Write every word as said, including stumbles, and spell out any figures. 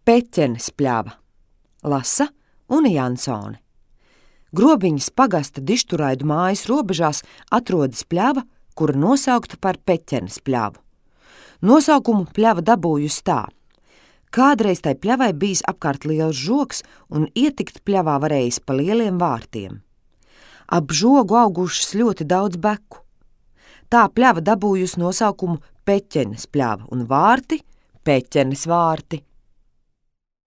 Peķenes pļava. Lasa Une Jansone. Grobiņas pagasta Dišturaidu mājas robežās atrodas pļava, kura nosaukta par Peķenes pļavu. Nosaukumu pļava dabūjusi tā. Kādreiz tai pļavai bijis apkārt liels žogs un ietikt pļavā varējis pa lieliem vārtiem. Ap žogu augušas ļoti daudz beku. Tā pļava dabūjusi nosaukumu Peķenes pļava un vārti Peķenes vārti.